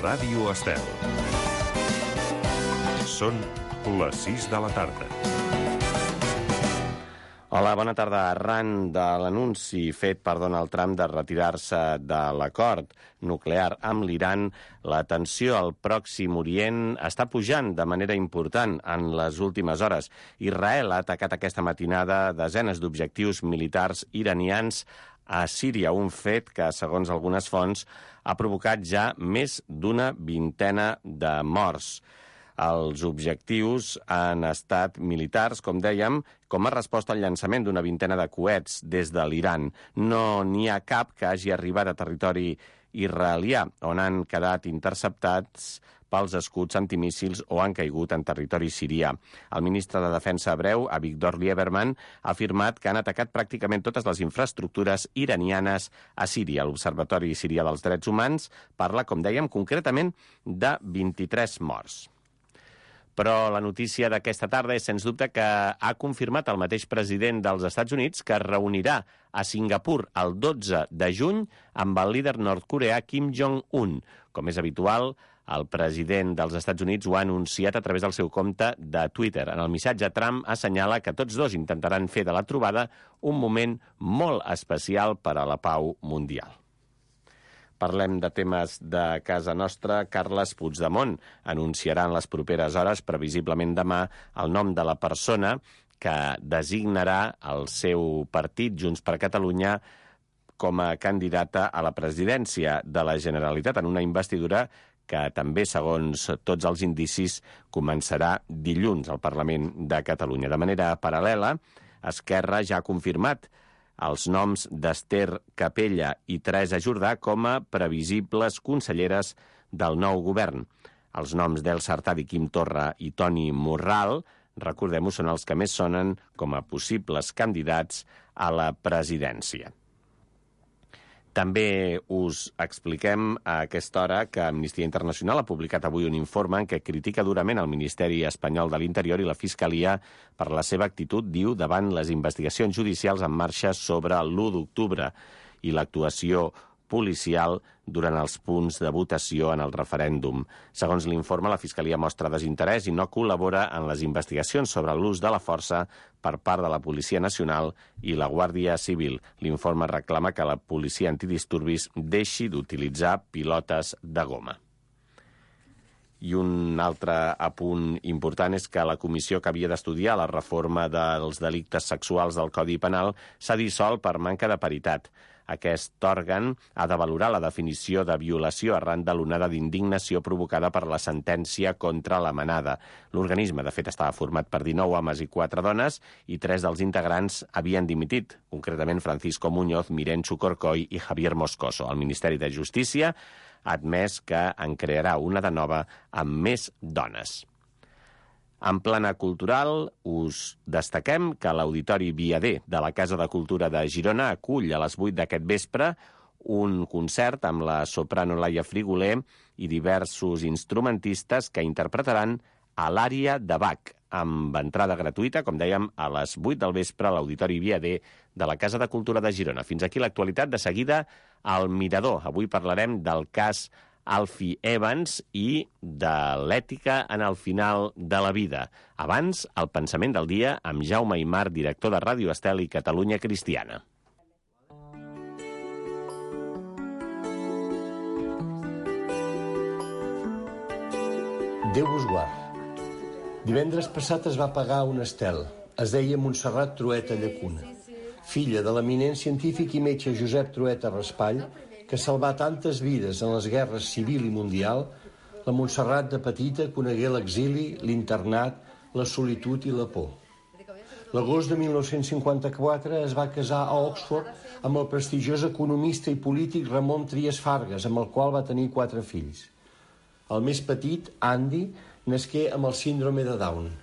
Ràdio Estel. Són les 6 de la tarda. Hola, bona tarda. Arran de l'anunci fet per Donald Trump de retirar-se de l'acord nuclear amb l'Iran, la tensió al Pròxim Orient està pujant de manera important en les últimes hores. Israel ha atacat aquesta matinada desenes d'objectius militars iranians a Síria, un fet que, segons algunes fonts, ha provocat ja més d'una vintena de morts. Els objectius han estat militars, com dèiem, com a resposta al llançament d'una vintena de coets des de l'Iran. No n'hi ha cap que hagi arribat a territori israelià, on han quedat interceptats pels escuts antimíssils o han caigut en territori sirià. El ministre de Defensa hebreu, Avigdor Lieberman, ha afirmat que han atacat pràcticament totes les infraestructures iranianes a Síria. L'Observatori Sirià dels Drets Humans parla, com dèiem, concretament de 23 morts. Però la notícia d'aquesta tarda és, sens dubte, que ha confirmat el mateix president dels Estats Units que es reunirà a Singapur el 12 de juny amb el líder nord-coreà Kim Jong-un. Com és habitual, el president dels Estats Units ho ha anunciat a través del seu compte de Twitter. En el missatge, Trump assenyala que tots dos intentaran fer de la trobada un moment molt especial per a la pau mundial. Parlem de temes de casa nostra. Carles Puigdemont anunciarà en les properes hores, previsiblement demà, el nom de la persona que designarà el seu partit, Junts per Catalunya, com a candidata a la presidència de la Generalitat en una investidura que també, segons tots els indicis, començarà dilluns al Parlament de Catalunya. De manera paral·lela, Esquerra ja ha confirmat els noms d'Ester Capella i Teresa Jordà com a previsibles conselleres del nou govern. Els noms d'Elsa Artadi, Quim Torra i Toni Morral, recordem-ho, són els que més sonen com a possibles candidats a la presidència. També us expliquem a aquesta hora que Amnistia Internacional ha publicat avui un informe en què critica durament el Ministeri Espanyol de l'Interior i la Fiscalia per la seva actitud, diu, davant les investigacions judicials en marxa sobre l'1 d'octubre i l'actuació policial durant els punts de votació en el referèndum. Segons l'informe, la Fiscalia mostra desinterès i no col·labora en les investigacions sobre l'ús de la força per part de la Policia Nacional i la Guàrdia Civil. L'informe reclama que la policia antidisturbis deixi d'utilitzar pilotes de goma. I un altre apunt important és que la comissió que havia d'estudiar la reforma dels delictes sexuals del Codi Penal s'ha dissolt per manca de paritat. Aquest òrgan ha de valorar la definició de violació arran de l'onada d'indignació provocada per la sentència contra la Manada. L'organisme, de fet, estava format per 19 homes i 4 dones i 3 dels integrants havien dimitit, concretament Francisco Muñoz, Mirencho Corcoy i Javier Moscoso. El Ministeri de Justícia ha admès que en crearà una de nova amb més dones. En plana cultural, us destaquem que l'Auditori Viader de la Casa de Cultura de Girona acull a les 8 d'aquest vespre un concert amb la soprano Laia Frigoler i diversos instrumentistes que interpretaran a l'ària de Bach, amb entrada gratuïta, com dèiem, a les 8 del vespre a l'Auditori Viader de la Casa de Cultura de Girona. Fins aquí l'actualitat. De seguida, al Mirador. Avui parlarem del cas Alfie Evans i de l'ètica en el final de la vida. Abans, el pensament del dia amb Jaume Aymar, director de Ràdio Estel i Catalunya Cristiana. Déu vos guard. Divendres passat es va pagar un estel. Es deia Montserrat Trueta Llacuna, filla de l'eminent científic i metge Josep Trueta Raspall, que salvà tantes vides en les guerres civil i mundial. La Montserrat de petita conegué l'exili, l'internat, la solitud i la por. L'agost de 1954 es va casar a Oxford amb el prestigiós economista i polític Ramon Trias Fargas, amb el qual va tenir 4 fills. El més petit, Andy, nasqué amb el síndrome de Down.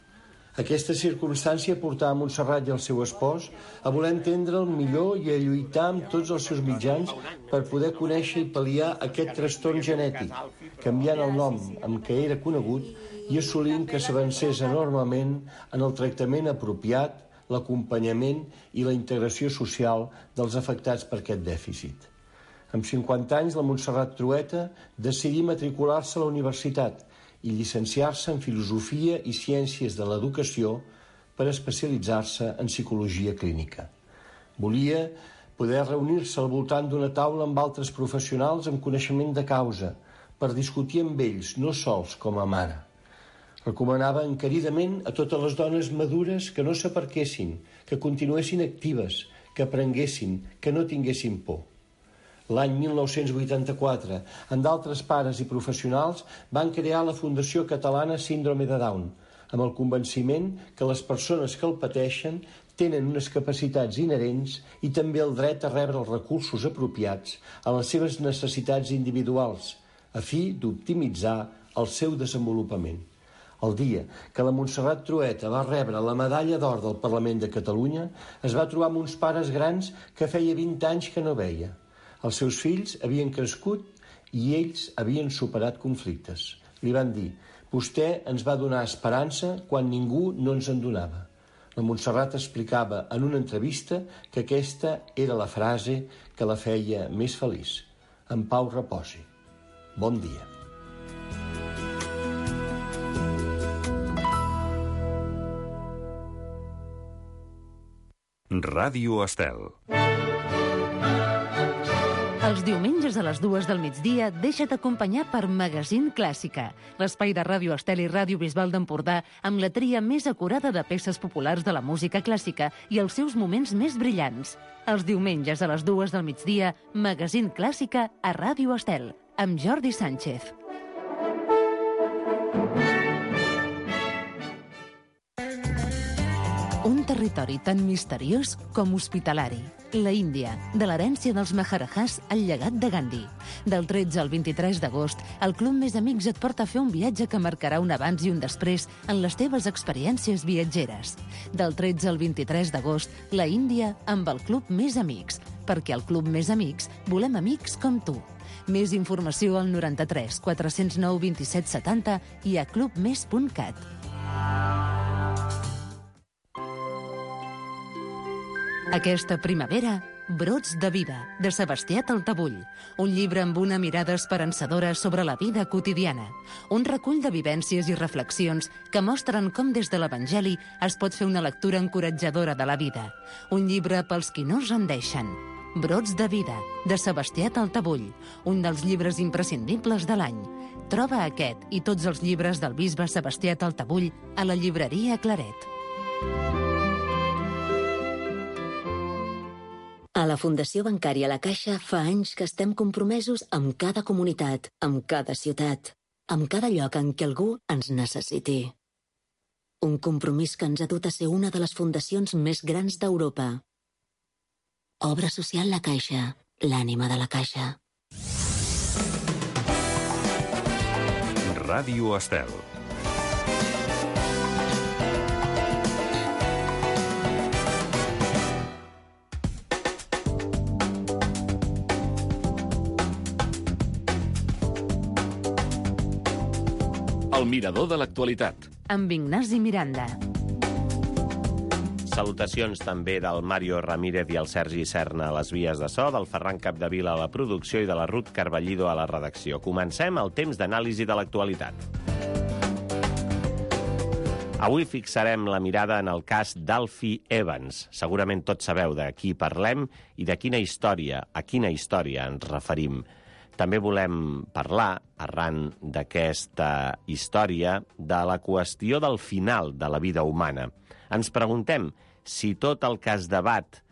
Aquesta circumstància portà a Montserrat i el seu espòs a voler entendre el millor i a lluitar amb tots els seus mitjans per poder conèixer i pal·liar aquest trastorn genètic, canviant el nom amb què era conegut i assolint que s'avancés enormement en el tractament apropiat, l'acompanyament i la integració social dels afectats per aquest dèficit. Amb 50 anys, la Montserrat Trueta decidí matricular-se a la universitat i llicenciar-se en Filosofia i Ciències de l'Educació per especialitzar-se en Psicologia Clínica. Volia poder reunir-se al voltant d'una taula amb altres professionals amb coneixement de causa per discutir amb ells, no sols com a mare. Recomanava encaridament a totes les dones madures que no s'aparquessin, que continuessin actives, que aprenguessin, que no tinguessin por. L'any 1984, amb d'altres pares i professionals, van crear la Fundació Catalana Síndrome de Down, amb el convenciment que les persones que el pateixen tenen unes capacitats inherents i també el dret a rebre els recursos apropiats a les seves necessitats individuals, a fi d'optimitzar el seu desenvolupament. El dia que la Montserrat Trueta va rebre la medalla d'or del Parlament de Catalunya, es va trobar amb uns pares grans que feia 20 anys que no veia. Els seus fills havien crescut i ells havien superat conflictes. Li van dir: vostè ens va donar esperança quan ningú no ens en donava. La Montserrat explicava en una entrevista que aquesta era la frase que la feia més feliç. En pau reposi. Bon dia. Ràdio Estel. Els diumenges a les 2 del migdia deixa't acompanyar per Magazín Clàssica, l'espai de Ràdio Estel i Ràdio Bisbal d'Empordà amb la tria més acurada de peces populars de la música clàssica i els seus moments més brillants. Els diumenges a les 2 del migdia, Magazín Clàssica a Ràdio Estel, amb Jordi Sánchez. Un territori tan misteriós com hospitalari. La Índia, de l'herència dels Maharajahs al llegat de Gandhi. Del 13 al 23 d'agost, el Club Més Amics et porta a fer un viatge que marcarà un abans i un després en les teves experiències viatgeres. Del 13 al 23 d'agost, la Índia amb el Club Més Amics, perquè al Club Més Amics volem amics com tu. Més informació al 93 409 27 70 i a clubmes.cat. Aquesta primavera, Brots de vida, de Sebastià Taltabull. Un llibre amb una mirada esperançadora sobre la vida quotidiana. Un recull de vivències i reflexions que mostren com des de l'Evangeli es pot fer una lectura encoratjadora de la vida. Un llibre pels qui no es rendeixen. Brots de vida, de Sebastià Taltabull. Un dels llibres imprescindibles de l'any. Troba aquest i tots els llibres del bisbe Sebastià Taltabull a la llibreria Claret. A la Fundació Bancària La Caixa fa anys que estem compromesos amb cada comunitat, amb cada ciutat, amb cada lloc en què algú ens necessiti. Un compromís que ens ha dut a ser una de les fundacions més grans d'Europa. Obra social La Caixa, l'ànima de la Caixa. Ràdio Estel. El mirador de l'actualitat. Amb Ignasi Miranda. Salutacions també del Mario Ramírez i el Sergi Serna a les vies de so, del Ferran Capdevila a la producció i de la Ruth Carballido a la redacció. Comencem el temps d'anàlisi de l'actualitat. Avui fixarem la mirada en el cas d'Alfie Evans. Segurament tots sabeu de qui parlem i de quina història, a quina història ens referim. També volem parlar, arran d'aquesta història, de la qüestió del final de la vida humana. Ens preguntem si tot el que es debat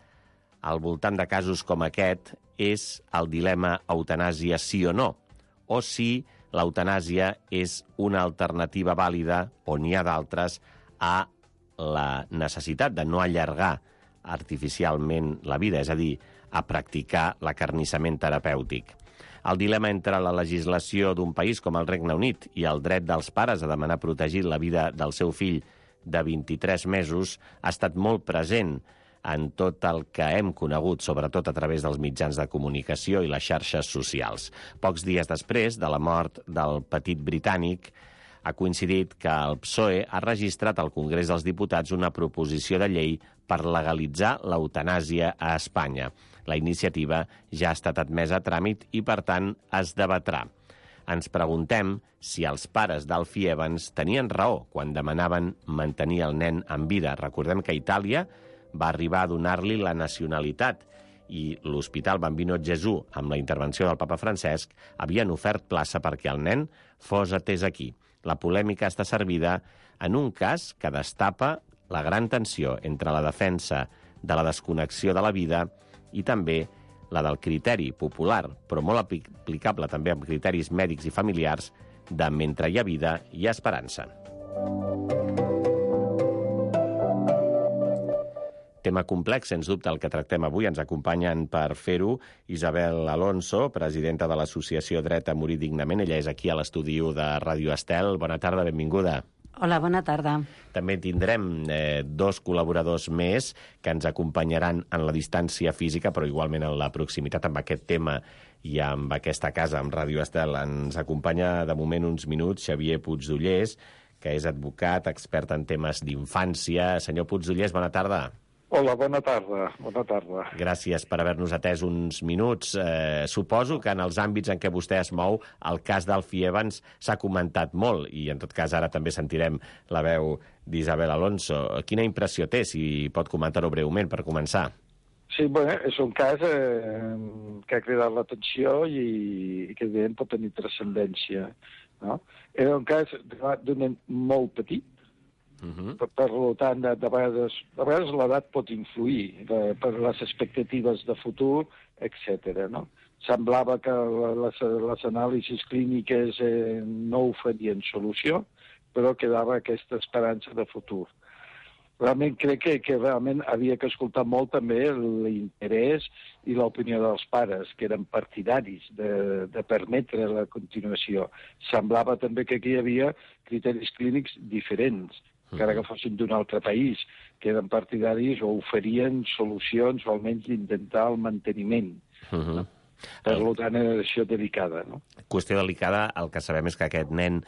al voltant de casos com aquest és el dilema eutanàsia sí o no, o si l'eutanàsia és una alternativa vàlida, o n'hi ha d'altres, a la necessitat de no allargar artificialment la vida, és a dir, a practicar l'acarnissament terapèutic. El dilema entre la legislació d'un país com el Regne Unit i el dret dels pares a demanar protegir la vida del seu fill de 23 mesos ha estat molt present en tot el que hem conegut, sobretot a través dels mitjans de comunicació i les xarxes socials. Pocs dies després de la mort del petit britànic, ha coincidit que el PSOE ha registrat al Congrés dels Diputats una proposició de llei per legalitzar l'eutanàsia a Espanya. La iniciativa ja ha estat admesa a tràmit i, per tant, es debatrà. Ens preguntem si els pares d'Alfie Evans tenien raó quan demanaven mantenir el nen en vida. Recordem que Itàlia va arribar a donar-li la nacionalitat i l'Hospital Bambino Gesù, amb la intervenció del papa Francesc, havien ofert plaça perquè el nen fos atès aquí. La polèmica està servida en un cas que destapa la gran tensió entre la defensa de la desconnexió de la vida i també la del criteri popular, però molt aplicable també amb criteris mèdics i familiars, de mentre hi ha vida hi ha esperança. Tema complex, sens dubte, el que tractem avui. Ens acompanyen per fer-ho Isabel Alonso, presidenta de l'Associació Dret a Morir Dignament. Ella és aquí a l'estudi de Ràdio Estel. Bona tarda, benvinguda. Hola, bona tarda. També tindrem dos col·laboradors més que ens acompanyaran en la distància física, però igualment en la proximitat amb aquest tema i amb aquesta casa, amb Ràdio Estel. Ens acompanya de moment uns minuts Xavier Puigdollers, que és advocat, expert en temes d'infància. Senyor Puigdollers, bona tarda. Hola, bona tarda. Bona tarda. Gràcies per haver-nos atès uns minuts. Suposo que en els àmbits en què vostè es mou, el cas d'Alfie Evans s'ha comentat molt, i en tot cas ara també sentirem la veu d'Isabel Alonso. Quina impressió té, si pot comentar-ho breument, per començar? Sí, bueno, és un cas que ha cridat l'atenció i que evidentment pot tenir transcendència. No? Era un cas d'un nen molt petit. Per tant, de vegades l'edat pot influir per les expectatives de futur, etc. No? Semblava que les anàlisis clíniques no oferien solució, però quedava aquesta esperança de futur. Realment crec que realment havia que escoltar molt també l'interès i l'opinió dels pares, que eren partidaris de permetre la continuació. Semblava també que aquí hi havia criteris clínics diferents, encara que fossin d'un altre país, que eren partidaris o oferien solucions o almenys intentar el manteniment. No? Per tant, era això delicada. No? Qüestió delicada, el que sabem és que aquest nen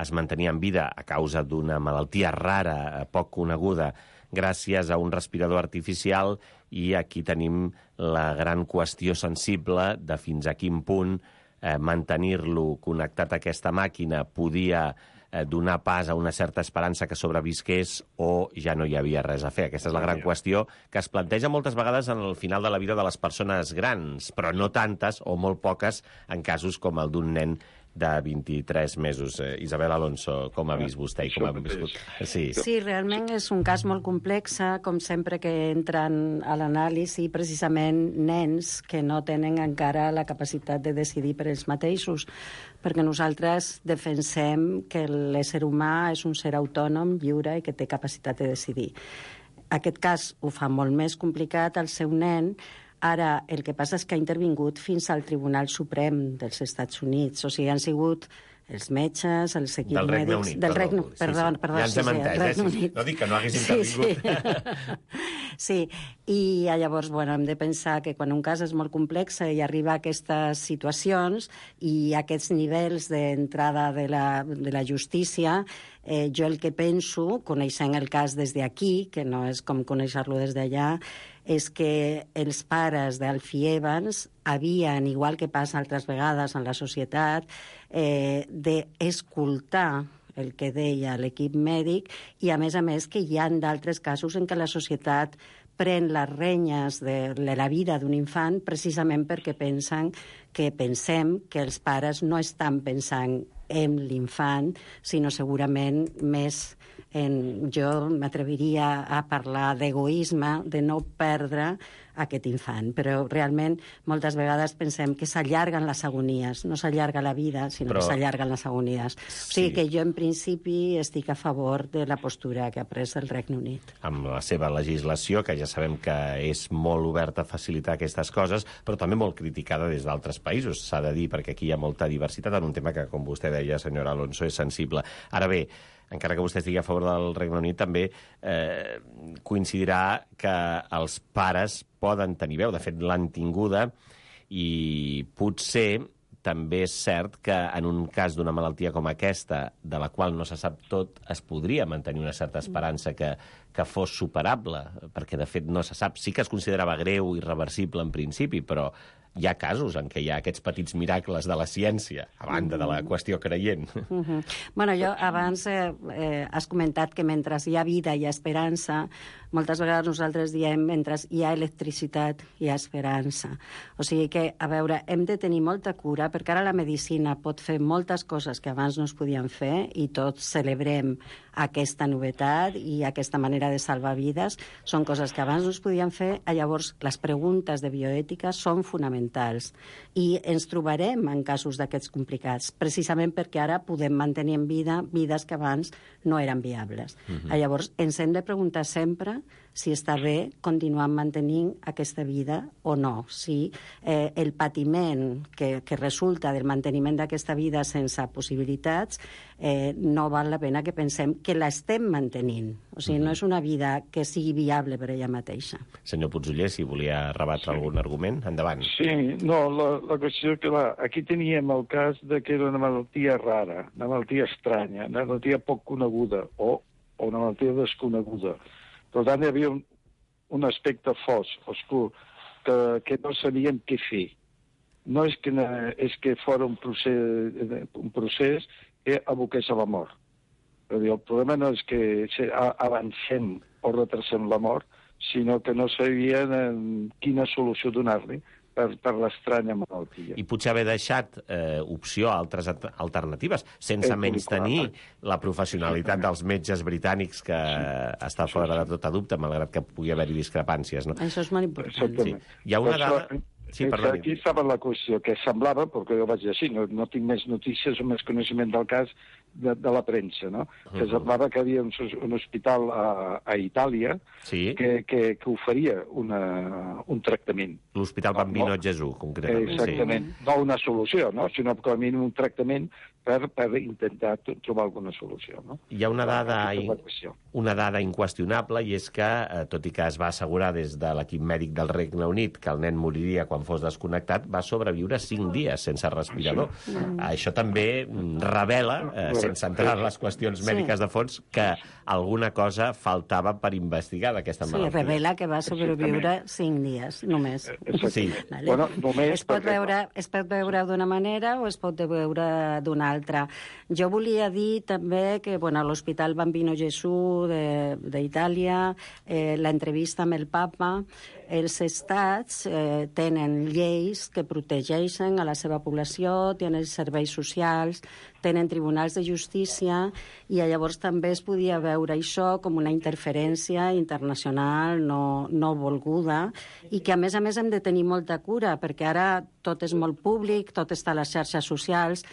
es mantenia en vida a causa d'una malaltia rara, poc coneguda, gràcies a un respirador artificial, i aquí tenim la gran qüestió sensible de fins a quin punt mantenir-lo connectat a aquesta màquina podia donar pas a una certa esperança que sobrevisqués o ja no hi havia res a fer. Aquesta és la gran qüestió que es planteja moltes vegades en el final de la vida de les persones grans, però no tantes o molt poques en casos com el d'un nen de 23 mesos. Isabel Alonso, com ha vist vostè i com ha viscut? Sí, realment és un cas molt complex, com sempre que entren a l'anàlisi precisament nens que no tenen encara la capacitat de decidir per ells mateixos, perquè nosaltres defensem que l'ésser humà és un ser autònom, lliure i que té capacitat de decidir. Aquest cas ho fa molt més complicat al seu nen. Ara, el que passa és que ha intervingut fins al Tribunal Suprem dels Estats Units. O sigui, han sigut els metges, els equips mèdics... Del Regne Unit, perdó. Ja ens hem entès, no dic que no hagués intervingut. Sí, i llavors, hem de pensar que quan un cas és molt complex i arriba a aquestes situacions i aquests nivells d'entrada de la justícia, jo el que penso, coneixent el cas des d'aquí, que no és com conèixer-lo des d'allà, és que els pares d'Alfie Evans havien, igual que passa altres vegades en la societat, d'escoltar el que deia l'equip mèdic i, a més que hi ha d'altres casos en què la societat pren les renyes de la vida d'un infant precisament perquè pensem que els pares no estan pensant en l'infant, sinó segurament més jo m'atreviria a parlar d'egoisme, de no perdre aquest infant. Però realment moltes vegades pensem que s'allarguen les agonies. No s'allarga la vida, sinó que s'allarguen les agonies. O sigui que jo en principi estic a favor de la postura que ha pres el Regne Unit. Amb la seva legislació, que ja sabem que és molt oberta a facilitar aquestes coses, però també molt criticada des d'altres països, s'ha de dir, perquè aquí hi ha molta diversitat en un tema que, com vostè deia, senyora Alonso, és sensible. Ara bé, encara que vostè estigui a favor del Regne Unit, també coincidirà que els pares poden tenir veu. De fet, l'han tinguda, i potser també és cert que en un cas d'una malaltia com aquesta, de la qual no se sap tot, es podria mantenir una certa esperança que que fos superable, perquè de fet no se sap. Sí que es considerava greu i irreversible en principi, però hi ha casos en què hi ha aquests petits miracles de la ciència, a banda de la qüestió creient. Bueno, jo abans has comentat que mentre hi ha vida hi ha esperança. Moltes vegades nosaltres diem mentre hi ha electricitat hi ha esperança. O sigui que, a veure, hem de tenir molta cura, perquè ara la medicina pot fer moltes coses que abans no es podien fer i tots celebrem aquesta novetat i aquesta manera de salvar vides. Són coses que abans no es podien fer, llavors les preguntes de bioètica són fonamentals i ens trobarem en casos d'aquests complicats, precisament perquè ara podem mantenir en vida vides que abans no eren viables. Llavors ens hem de preguntar sempre si està bé continuar mantenint aquesta vida o no, si el patiment que resulta del manteniment d'aquesta vida sense possibilitats no val la pena que pensem que l'estem mantenint. O sigui, no és una vida que sigui viable per ella mateixa. Senyor Putzuller, si volia rebatre algun argument, endavant. Sí, no, la qüestió que aquí teníem el cas de que era una malaltia rara, una malaltia estranya, una malaltia poc coneguda o una malaltia desconeguda. Per tant, hi havia un aspecte fosc, oscur, que no sabíem què fer. No és que fos un procés que aboqués a la mort. El problema no és que avancem o retrasem la mort, sinó que no sabien quina solució donar-li per l'estranya malaltia. I potser haver deixat opció a altres alternatives, sense menystenir la professionalitat dels metges britànics, que està fora de tota dubte, malgrat que pugui haver-hi discrepàncies. No? Això és molt important. Exactament. Sí. Hi ha una dada... Sí, aquí estava la qüestió, que semblava, perquè jo vaig dir així, no tinc més notícies o més coneixement del cas de la premsa, no? Que semblava que hi havia un hospital a Itàlia que oferia un tractament. L'Hospital Bambino Gesù, concretament. Exactament. No una solució, no? Sinó com a mínim un tractament per intentar trobar alguna solució, no? Hi ha una dada inqüestionable, i és que, tot i que es va assegurar des de l'equip mèdic del Regne Unit que el nen moriria quan fos desconnectat, va sobreviure 5 dies sense respirador. Això també revela, sense entrar en les qüestions mèdiques de fons, que alguna cosa faltava per investigar d'aquesta malaltia. Sí, revela que va sobreviure 5 dies, només. Sí. Vale. Bueno, només es pot veure d'una manera o es pot veure d'una altra. Jo volia dir també que l'Hospital Bambino Gesù d'Itàlia, l'entrevista amb el papa, els estats tenen lleis que protegeixen a la seva població, tenen serveis socials, tenen tribunals de justícia, i llavors també es podia veure això com una interferència internacional no volguda, i que a més hem de tenir molta cura, perquè ara tot és molt públic, tot està a les xarxes socials,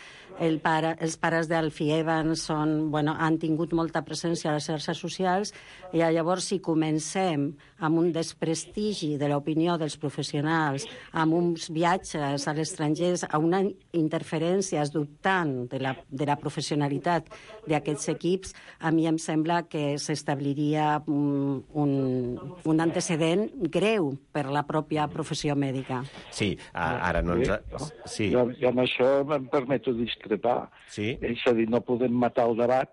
els pares d'Alfie Evans han tingut molta presència a les xarxes socials, i llavors si comencem amb un desprestigi de l'opinió dels professionals, amb uns viatges a l'estranger, a una interferència dubtant de la professionalitat d'aquests equips, a mi em sembla que s'establiria un antecedent greu per la pròpia professió mèdica. Sí, ara no ens... Sí. I amb això em permeto discrepar. Sí? És a dir, no podem matar el debat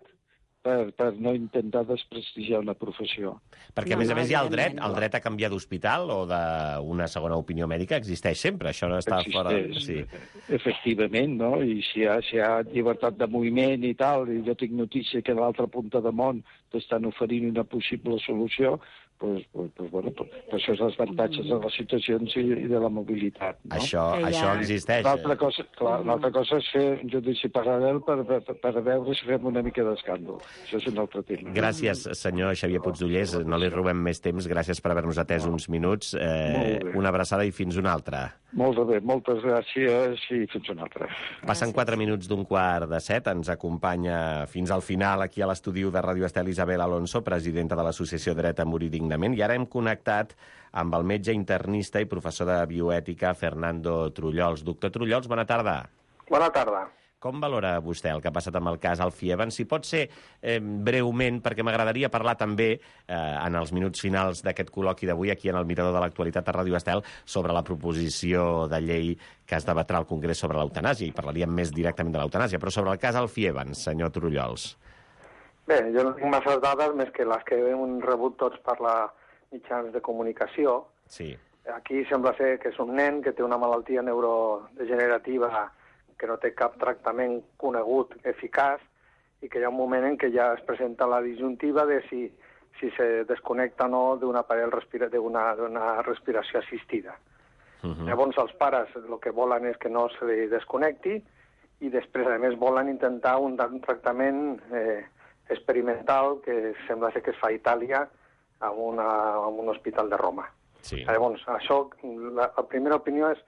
per no intentar desprestigiar una professió. Perquè, a més, hi ha el dret a canviar d'hospital o d'una segona opinió mèdica existeix sempre, això no està fora... Sí. Efectivament, no? I si hi ha llibertat de moviment i tal, i jo tinc notícia que a l'altra punta de món t'estan oferint una possible solució, per això és els avantatges de les situacions i de la mobilitat. No? Això existeix. L'altra cosa és fer un judici paral·lel per veure si fem una mica d'escàndol. Això és un altre tema. Gràcies, senyor Xavier Putzullers. No li robem més temps. Gràcies per haver-nos atès uns minuts. Una abraçada i fins una altra. Molt bé, moltes gràcies i fins una altra. Passen 4 minuts d'un 6:15. Ens acompanya fins al final aquí a l'estudi de Ràdio Estel Isabel Alonso, presidenta de l'Associació Dret a Morir Dignament. I ara hem connectat amb el metge internista i professor de bioètica Fernando Trullols. Doctor Trullols, bona tarda. Bona tarda. Com valora vostè el que ha passat amb el cas Alfie Evans? Si pot ser breument, perquè m'agradaria parlar també en els minuts finals d'aquest col·loqui d'avui aquí en el Mirador de l'Actualitat a Ràdio Estel sobre la proposició de llei que es debatrà al Congrés sobre l'eutanàsia, i parlaríem més directament de l'eutanàsia, però sobre el cas Alfie Evans, senyor Trullols. Bé, jo no tinc masses dades més que les que hem rebut tots per la mitjans de comunicació. Sí. Aquí sembla ser que és un nen que té una malaltia neurodegenerativa que no té cap tractament conegut eficaç i que hi ha un moment en què ja es presenta la disjuntiva de si se desconnecta o no d'una respiració assistida. Llavors els pares el que volen és que no se desconnecti i després, a més, volen intentar un tractament experimental que sembla ser que es fa a Itàlia en un hospital de Roma. Sí. Llavors, això, la primera opinió és,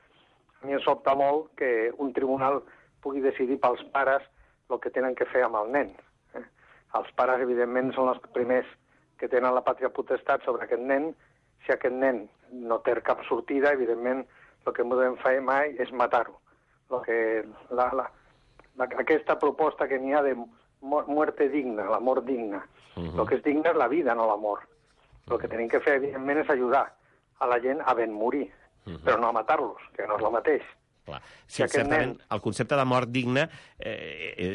a mi em sobta molt que un tribunal pugui decidir pels pares el que tenen que fer amb el nen. Els pares, evidentment, són els primers que tenen la pàtria potestat sobre aquest nen. Si aquest nen no té cap sortida, evidentment, el que no podem fer mai és matar-ho. Aquesta proposta que n'hi ha de muerte digna, la mort digna. El que és digne és la vida, no la mort. El que tenim que fer, evidentment, és ajudar a la gent a ben morir, però no a matar-los, que no és el mateix. Clar. Sí, certament, el concepte de mort digna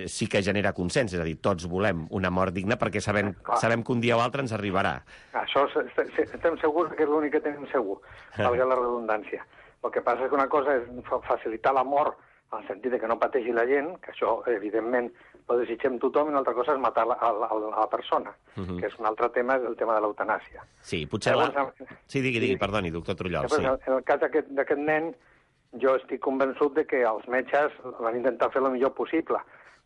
sí que genera consens, és a dir, tots volem una mort digna perquè sabem que un dia o altre ens arribarà. Això estem segurs que és l'únic que tenim segur, valga la redundància. El que passa és que una cosa és facilitar la mort en el sentit que no pateixi la gent, que això, evidentment, ho desitgem tothom, i una altra cosa és matar la persona, que és un altre tema, és el tema de l'eutanàsia. Sí, potser Sí, digui, perdoni, doctor Trullols. En el cas d'aquest nen, jo estic convençut de que els metges van intentar fer el millor possible,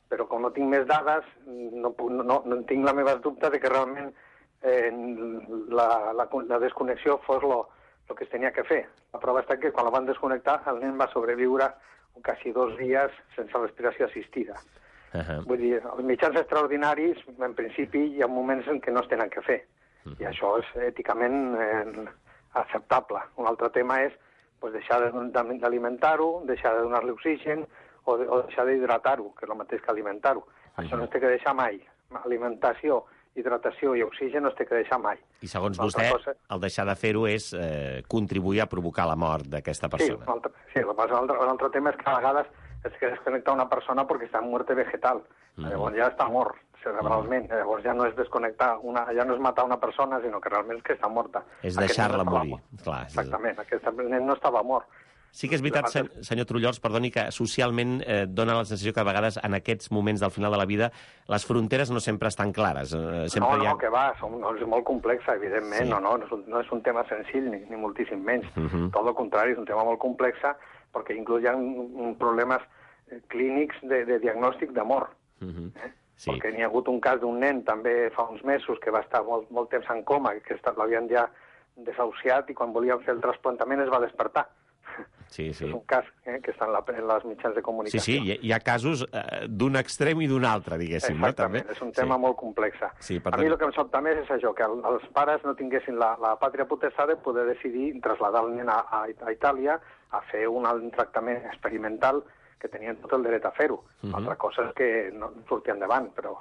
però com no tinc més dades, no tinc les meves dubtes de que realment la desconnexió fos el que es tenia que fer. La prova està que quan la van desconnectar el nen va sobreviure quasi 2 dies sense respiració assistida. Vull dir, els mitjans extraordinaris, en principi, hi ha moments en què no es tenen que fer, i això és èticament acceptable. Un altre tema és deixar d'alimentar-ho, deixar de donar-li oxigen o deixar d'hidratar-ho, que és el mateix que alimentar-ho. Això no es té que deixar mai. Alimentació, hidratació i oxigen no es té que deixar mai. I segons vostè, el deixar de fer-ho és contribuir a provocar la mort d'aquesta persona. Sí, un altre tema és que a vegades es que desconnecta una persona perquè està en muerte vegetal. Llavors ja està mort cerebralment. Llavors ja no és desconnectar, ja no és matar una persona, sinó que realment és que està morta. És deixar-la morir. Exactament, aquest nen no estava mort. Sí que és veritat, senyor Trullols, perdoni, que socialment dona la sensació que a vegades en aquests moments del final de la vida les fronteres no sempre estan clares. No, que va, és molt complexa, evidentment, no és un tema senzill, ni moltíssim menys. Tot el contrari, és un tema molt complexa, perquè inclús hi ha problemes clínics de diagnòstic de mort. Perquè n'hi ha hagut un cas d'un nen també fa uns mesos que va estar molt temps en coma, que l'havien ja desahuciat i quan volien fer el trasplantament es va despertar. És un cas que està en les mitjans de comunicació. Sí, hi ha casos d'un extrem i d'un altre, diguéssim. Exactament, és un tema molt complex. A mi el que em sobta més és això, que els pares no tinguessin la pàtria potestat de poder decidir traslladar el nen a Itàlia a fer un tractament experimental que tenien tot el dret a fer-ho. Altra cosa és que no surti endavant, però...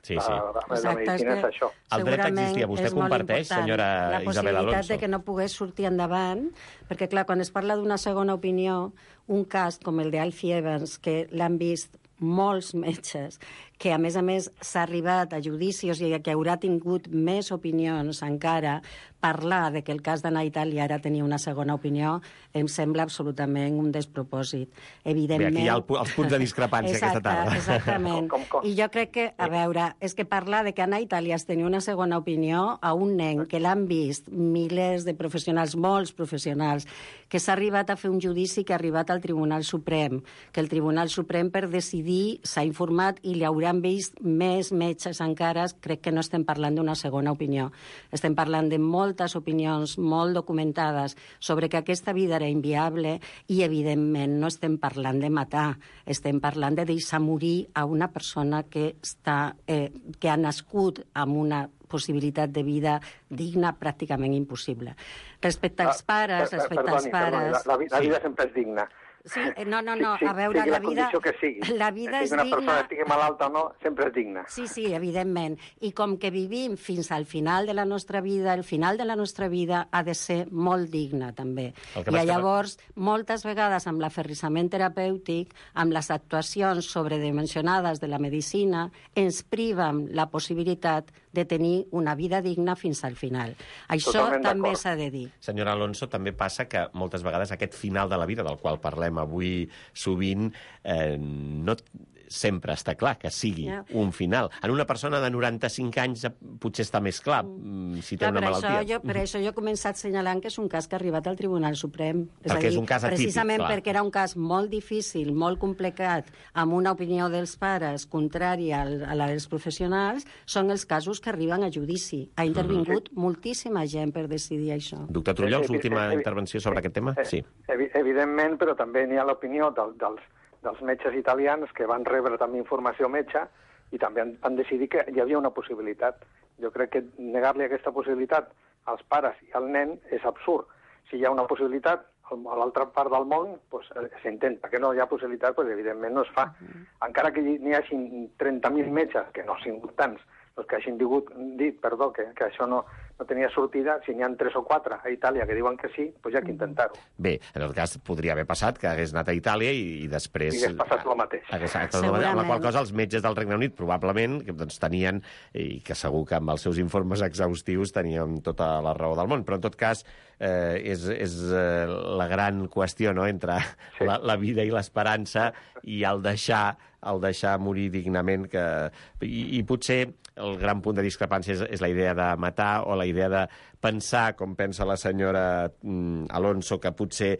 La medicina és això. El dret existia. Vostè comparteix, senyora Isabel Alonso? La possibilitat de que no pogués sortir endavant, perquè, clar, quan es parla d'una segona opinió, un cas com el d'Alfie Evans, que l'han vist molts metges, que a més s'ha arribat a judicis i que haurà tingut més opinions encara, parlar de que el cas d'anar a Itàlia ara tenia una segona opinió em sembla absolutament un despropòsit. Evidentment... Bé, aquí hi ha els punts de discrepància aquesta tarda. Exactament. I jo crec que, a veure, és que parlar de que anar a Itàlia es tenia una segona opinió a un nen que l'han vist milers de professionals, molts professionals, que s'ha arribat a fer un judici que ha arribat al Tribunal Suprem, que el Tribunal Suprem per decidir s'ha informat i li hauran vist més metges encara, crec que no estem parlant d'una segona opinió. Estem parlant de moltes opinions molt documentades sobre que aquesta vida era inviable i, evidentment, no estem parlant de matar, estem parlant de deixar morir a una persona que ha nascut amb una possibilitat de vida digna pràcticament impossible. Respecte als pares... La vida sempre és digna. Sí, no, a veure, la condició que sigui. La vida és digna... Que una persona estigui malalta o no, sempre és digna. Sí, evidentment. I com que vivim fins al final de la nostra vida, el final de la nostra vida ha de ser molt digne, també. I llavors, moltes vegades, amb l'aferrissament terapèutic, amb les actuacions sobredimensionades de la medicina, ens privem la possibilitat de tenir una vida digna fins al final. Això també s'ha de dir. Senyora Alonso, també passa que moltes vegades aquest final de la vida, del qual parlem avui sovint, no sempre està clar que sigui un final. En una persona de 95 anys potser està més clar si té una malaltia. Per això jo he començat assenyalant que és un cas que ha arribat al Tribunal Suprem. Perquè és un cas atípic, precisament perquè era un cas molt difícil, molt complicat, amb una opinió dels pares contrària a la dels professionals, són els casos que arriben a judici. Ha intervingut moltíssima gent per decidir això. Doctor Trullols, última intervenció sobre aquest tema? Sí. Evidentment, però també n'hi ha l'opinió dels metges italians que van rebre també informació metge i també han decidit que hi havia una possibilitat. Jo crec que negar-li aquesta possibilitat als pares i al nen és absurd. Si hi ha una possibilitat, a l'altra part del món s'intenta. Que no hi ha possibilitat, evidentment no es fa. Encara que n'hi hagi 30.000 metges, que no han sigut tants, que hagin dit que això no tenia sortida, si n'hi ha 3 o 4 a Itàlia que diuen que sí, doncs hi ha que intentar-ho. Bé, en tot cas, podria haver passat que hagués anat a Itàlia i després... I hagués passat el mateix. Amb la qual cosa els metges del Regne Unit probablement tenien, i que segur que amb els seus informes exhaustius tenien tota la raó del món, però en tot cas és la gran qüestió, no?, entre la vida i l'esperança i el deixar morir dignament, i potser el gran punt de discrepància és la idea de matar o la idea de pensar, com pensa la senyora Alonso, que potser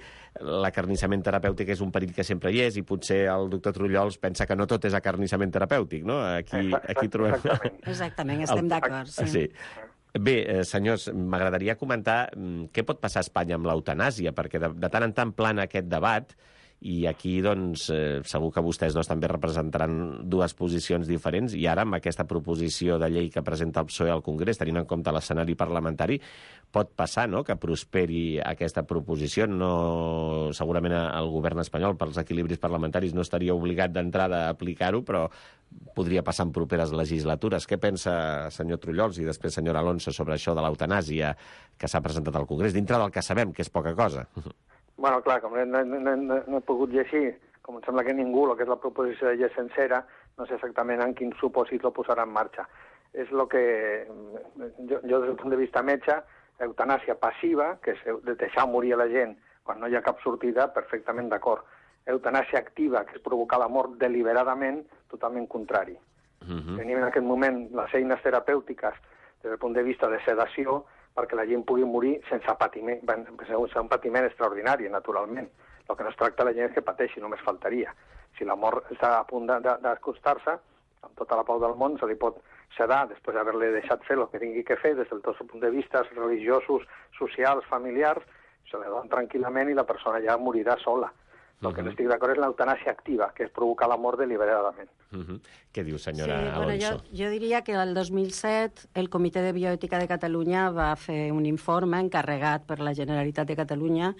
l'acarnissament terapèutic és un perill que sempre hi és, i potser el doctor Trullols pensa que no tot és acarnissament terapèutic, no? Aquí trobem... Exactament, estem d'acord, sí. Bé, senyors, m'agradaria comentar què pot passar a Espanya amb l'eutanàsia, perquè de tant en tant plana aquest debat, i aquí, doncs, segur que vostès dos també representaran dues posicions diferents, i ara, amb aquesta proposició de llei que presenta el PSOE al Congrés, tenint en compte l'escenari parlamentari, pot passar, no?, que prosperi aquesta proposició. No, segurament el govern espanyol, pels equilibris parlamentaris, no estaria obligat d'entrada a aplicar-ho, però podria passar en properes legislatures. Què pensa, senyor Trullols, i després senyora Alonso, sobre això de l'eutanàsia que s'ha presentat al Congrés, dintre del que sabem, que és poca cosa? Bueno, clar, com no he pogut llegir, com em sembla que ningú, el que és la proposició de llei sencera, no sé exactament en quin supòsit lo posarà en marxa. És el que, jo des del punt de vista metge, eutanàsia passiva, que és de deixar morir a la gent quan no hi ha cap sortida, perfectament d'acord. Eutanàsia activa, que és provocar la mort deliberadament, totalment contrari. Tenim en aquest moment les eines terapèutiques des del punt de vista de sedació, perquè la gent pugui morir sense patiment, sense un patiment extraordinari, naturalment. El que no es tracta la gent és que pateixi, només faltaria. Si la mort està a punt d'acostar-se, amb tota la pau del món, se li pot sedar després d'haver-li deixat fer el que tingui que fer des del tot punt de vista religiosos, socials, familiars, se li donen tranquil·lament i la persona ja morirà sola. El que no estic d'acord és l'eutanàsia activa, que és provocar la mort deliberadament. Què diu, senyora Alonso? Jo diria que el 2007 el Comitè de Bioètica de Catalunya va fer un informe encarregat per la Generalitat de Catalunya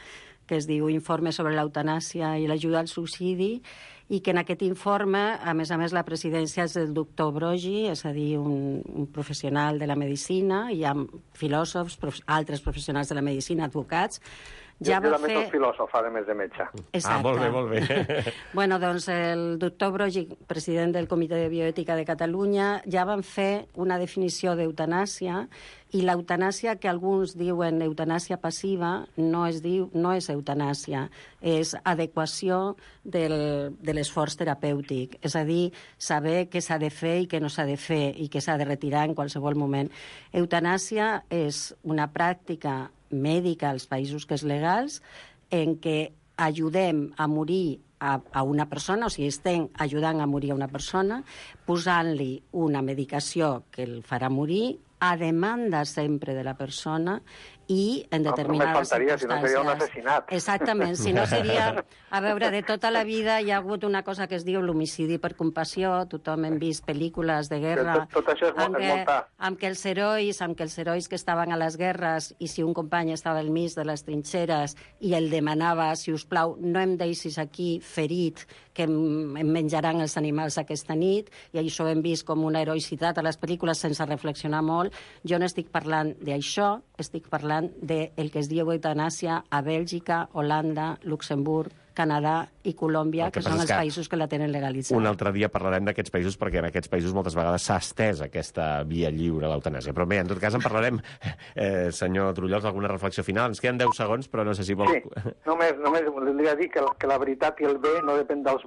que es diu Informe sobre l'eutanàsia i l'ajuda al suïcidi, i que en aquest informe, a més, la presidència és del doctor Brogi, és a dir, un professional de la medicina, hi ha filòsofs, altres professionals de la medicina, advocats. Jo també soc filòsof, a més de metge. Exacte. Molt bé. Bueno, doncs el doctor Brogi, president del Comitè de Bioètica de Catalunya, ja van fer una definició d'eutanàsia, i l'eutanàsia que alguns diuen eutanàsia passiva no és eutanàsia, és adequació de l'esforç terapèutic, és a dir, saber què s'ha de fer i què no s'ha de fer i què s'ha de retirar en qualsevol moment. Eutanàsia és una pràctica mèdica als països que és legals en què ajudem a morir a una persona, o sigui, estem ajudant a morir a una persona, posant-li una medicació que el farà morir a demanda sempre de la persona i en determinades circumstàncies. Si no seria un assassinat. Exactament, si no seria... A veure, de tota la vida hi ha hagut una cosa que es diu l'homicidi per compassió, tothom hem vist pel·lícules de guerra... Tot això és molta... Amb que els herois que estaven a les guerres, i si un company estava al mig de les trinxeres i el demanava, si us plau, no em deixis aquí ferit, que em menjaran els animals aquesta nit, i això ho hem vist com una heroïcitat a les pel·lícules sense reflexionar molt. Jo no estic parlant d'això, estic parlant del que es diu eutanàsia a Bèlgica, Holanda, Luxemburg, Canadà i Colòmbia, que són els països que la tenen legalitzada. Un altre dia parlarem d'aquests països, perquè en aquests països moltes vegades s'ha estès aquesta via lliure, l'eutanàsia. Però bé, en tot cas en parlarem. Senyor Trullols, alguna reflexió final? Ens queden 10 segons, però no sé si vol... Sí, només voldria dir que la veritat i el bé no depèn dels bons,